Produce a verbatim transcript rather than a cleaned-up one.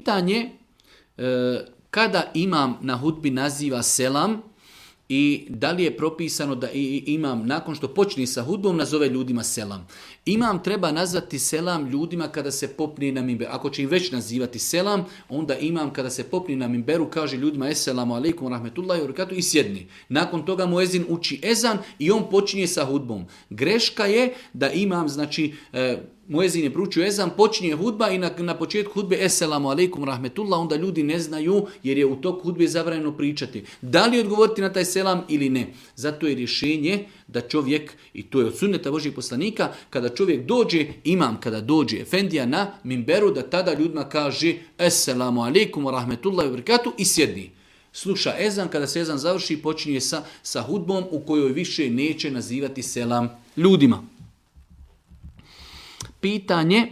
Pitanje e, kada imam na hutbi naziva selam i da li je propisano da imam nakon što počne sa hudbom nazove ljudima selam. Imam treba nazvati selam ljudima kada se popne na minberu. Ako će im već nazivati selam, onda imam kada se popne na minberu kaže ljudima esselamu alejkum rahmetullahi wa barakatuh i sjedni. Nakon toga muezin uči ezan i on počinje sa hudbom. Greška je da imam, znači, e, muezin je proučio ezan, počinje hudba i na, na početku hudbe esselamu alejkum rahmetullah, onda ljudi ne znaju jer je u toku hudbe zabranjeno pričati. Da li odgovoriti na taj selam ili ne? Zato je rješenje da čovjek, i to je od sunneta Božjih poslanika, kada čovjek dođe, imam kada dođe efendija na minberu, da tada ljudima kaže esselamu alejkum rahmetullahi wa barakatuh i sjedni. Sluša ezan, kada se ezan završi, počinje sa, sa hudbom u kojoj više neće nazivati selam ljudima. Pitanje